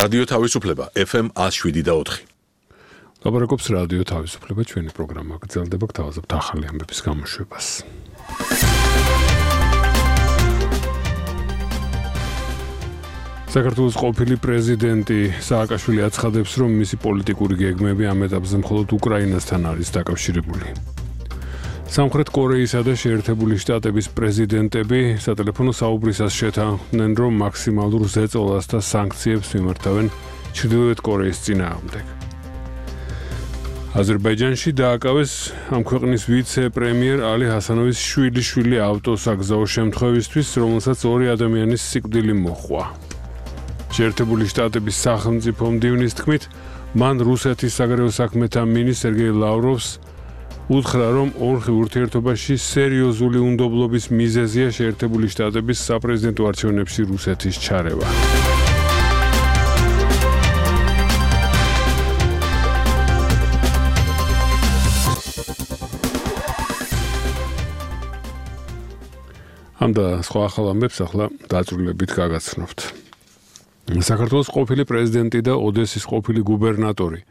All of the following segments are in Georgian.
რადიო თავისუფლება FM 107.4. ლაპარაკობს რადიო თავისუფლება, ჩვენი პროგრამა გრძელდება, გთავაზობთ ახალი ამბების გამოშვებას. საქართველოს ყოფილი პრეზიდენტი სააკაშვილი აცხადებს, რომ მისი პოლიტიკური გეგმები ამ ეტაპზე მხოლოდ უკრაინასთან არის დაკავშირებული. სამხრეთ კორეისა და შეერთებული შტატების პრეზიდენტები სატელეფონო საუბრისას შეთანხმდნენ, რომ მაქსიმალურ ზეწოლას და სანქციებს მიმართავენ ჩრდილოეთ კორეის წინააღმდეგ. აზერბაიჯანში დააკავეს ამ ქვეყნის ვიცე-პრემიერ ალი ჰასანოვის შვილიშვილი ავტოსაგზაო შემთხვევისთვის, რომელსაც 2 ადამიანის სიკვდილი მოჰყვა. შეერთებული შტატების სახელმწიფო მდივნის თქმით, მან რუსეთის საგარეო საქმეთა მინისტრ სერგეი ლავროვს უთხრა, რომ ორხი ურთიერთობაში სერიოზული უნდობლობის მიზეზია შეერთებული შტატების საპრეზიდენტო არჩევნებში რუსეთის ჩარევა. ამ და სხვა ახალ ამბებს ახლა დაწვრილებით გაგაცნობთ. საქართველოს ყოფილი პრეზიდენტი და ოდესის ყოფილი გუბერნატორი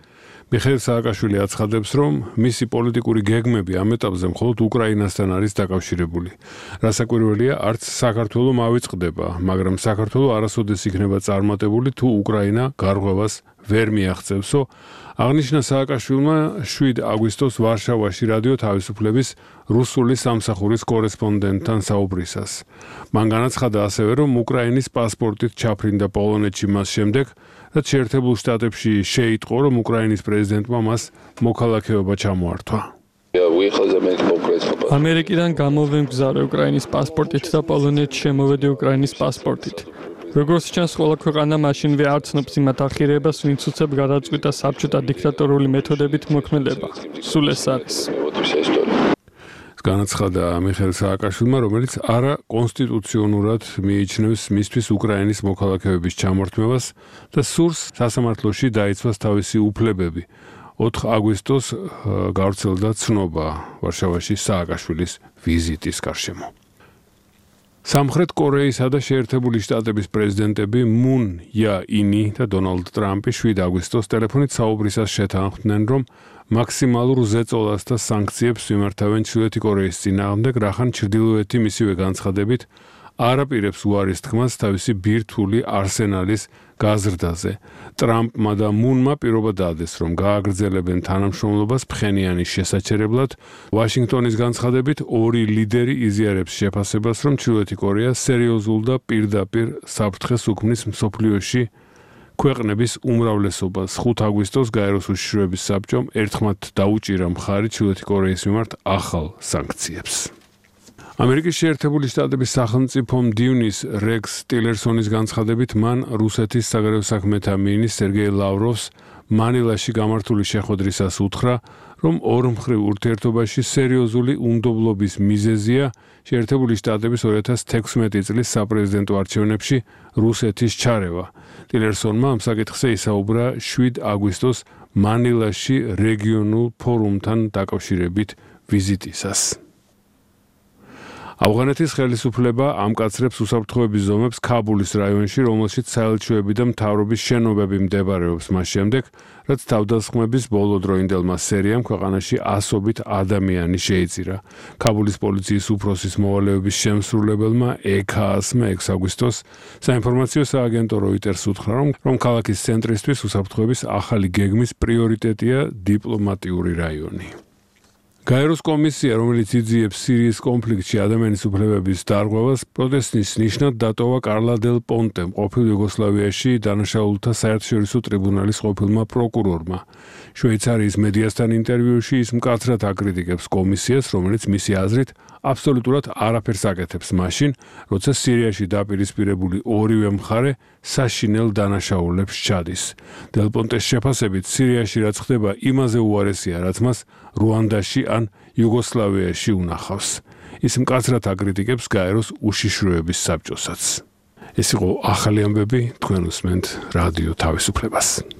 მიხეილ სააკაშვილი აცხადებს, რომ მისი პოლიტიკური გეგმები ამ ეტაპზე მხოლოდ უკრაინასთან არის დაკავშირებული. რასაკვირველია, არც საქართველო მავიწყდება, მაგრამ საქართველო არასოდეს იქნება წარმატებული, თუ უკრაინა გარღვევას ვერ მიაღწევსო, აღნიშნა სააკაშვილმა 7 აგვისტოს ვარშავაში რადიო თავისუფლების რუსული სამსახურის კორესპონდენტთან საუბრისას. მან განაცხადა ასევე, რომ უკრაინის პასპორტით ჩაფრინდა პოლონეთში მას შემდეგ, რაც შეერთებულ შტატებში შეიტყო, რომ უკრაინის პრეზიდენტმა მას მოქალაქეობა ჩამოართვა. ამერიკიდან გამოვემგზავრე უკრაინის პასპორტით და პოლონეთში შემოვედი უკრაინის პასპორტით. როგორც ჩანს, ყველა ქვეყანა მაშინვე არ ცნობს იმათ ახირებას, ვინც უცებ გადაწყვიტა საბჭოთა დიქტატორული მეთოდებით მოქმედება. სულ ეს არის. განაცხადა მიხეილ სააკაშვილმა, რომელიც არა კონსტიტუციონურად მიიჩნევს მისთვის უკრაინის მოქალაქეობის ჩამორთმევას და სურს სასამართლოში დაიცვას თავისი უფლებები. 4 აგვისტოს გავრცელდა ცნობა ვარშავაში სააკაშვილის ვიზიტის გარშემო. სამხრეთ კორეისა და შეერთებული შტატების პრეზიდენტები მუნ იაინი და დონალდ ტრამპი 7 აგვისტოს ტელეფონით საუბრისას შეთანხმდნენ, რომ მაქსიმალურ ზეწოლას და სანქციებს მიმართავენ ჩრდილოეთი კორეის წინააღმდეგ, რახან ჩრდილოეთი მისივე განცხადებით არ აპირებს უარის თქმას თავისი ბირთვული არსენალის გაზრდაზე. ტრამპმა და მუნმა პირობა დაადეს, რომ გააგრძელებენ თანამშრომლობას ფხენიანის შესაჩერებლად. ვაშინგტონის განცხადებით 2 ლიდერი იზიარებს შეფასებას, რომ ჩრდილოეთი კორეა სერიოზულ და პირდაპირ საფრთხეს უქმნის მსოფლიოში ქვეყნების უმრავლესობას. 5 აგვისტოს გაეროს უშიშროების საბჭომ ერთხმად დაუჭირა მხარი ჩრდილოეთი კორეის მიმართ ახალ სანქციებს. ამერიკის შეერთებული შტატების სახელმწიფო მდივნის რექს ტილერსონის განცხადებით, მან რუსეთის საგარეო საქმეთა მინისტრ სერგეი ლავროვს მანილაში გამართული შეხვედრისას უთხრა, რომ ორმხრივ ურთიერთობაში სერიოზული უნდობლობის მიზეზია შეერთებული შტატების 2016 წლის საპრეზიდენტო არჩევნებში რუსეთის ჩარევა. ტილერსონმა ამ საკითხზე ისაუბრა 7 აგვისტოს მანილაში რეგიონულ ფორუმთან დაკავშირებით ვიზიტისას. ავღანეთის ხელისუფლება ამკაცრებს უსაფრთხოების ზომებს ქაბულის რაიონში, რომელშიც საელჩოები და მთავრობის შენობები მდებარეობს მას შემდეგ, რაც თავდასხმების ბოლოდროინდელმა სერიამ ქვეყანაში ასობით ადამიანი შეიწირა. ქაბულის პოლიციის უფროსის მოვალეობის შემსრულებელმა EKAS-მა 6 აგვისტოს საინფორმაციო სააგენტო Reuters უთხრა, რომ ქალაქის ცენტრისთვის უსაფრთხოების ახალი გეგმის პრიორიტეტია დიპლომატიური რაიონი. გაეროს კომისია, რომელიც იძიებს სირიის კონფლიქტში ადამიანის უფლებების დარღვევას, პროტესტის ნიშნად დატოვა კარლა დელ პონტემ, ყოფილ იუგოსლავიაში დანაშაულთა საერთაშორისო ტრიბუნალის ყოფილმა პროკურორმა. შვეიცარიის მედიასთან ინტერვიუში ის მკაცრად აკრიტიკებს კომისიას, რომელიც მისი აზრით აბსოლუტურად არაფერს აკეთებს მაშინ, როცა სირიაში დაპირისპირებული ორივე მხარე საშინელ დანაშაულებს ჩადის. დელ პონტეს შეფასებით, სირიაში რაც ხდება იმაზე უარესია, რაც მას რუანდაში ან იუგოსლავიაში უნახავს. ის მკაცრად აკრიტიკებს გაეროს უშიშროების საბჭოსაც. ეს იყო ახალი ამბები, თქვენ უსმენთ რადიო თავისუფლებას.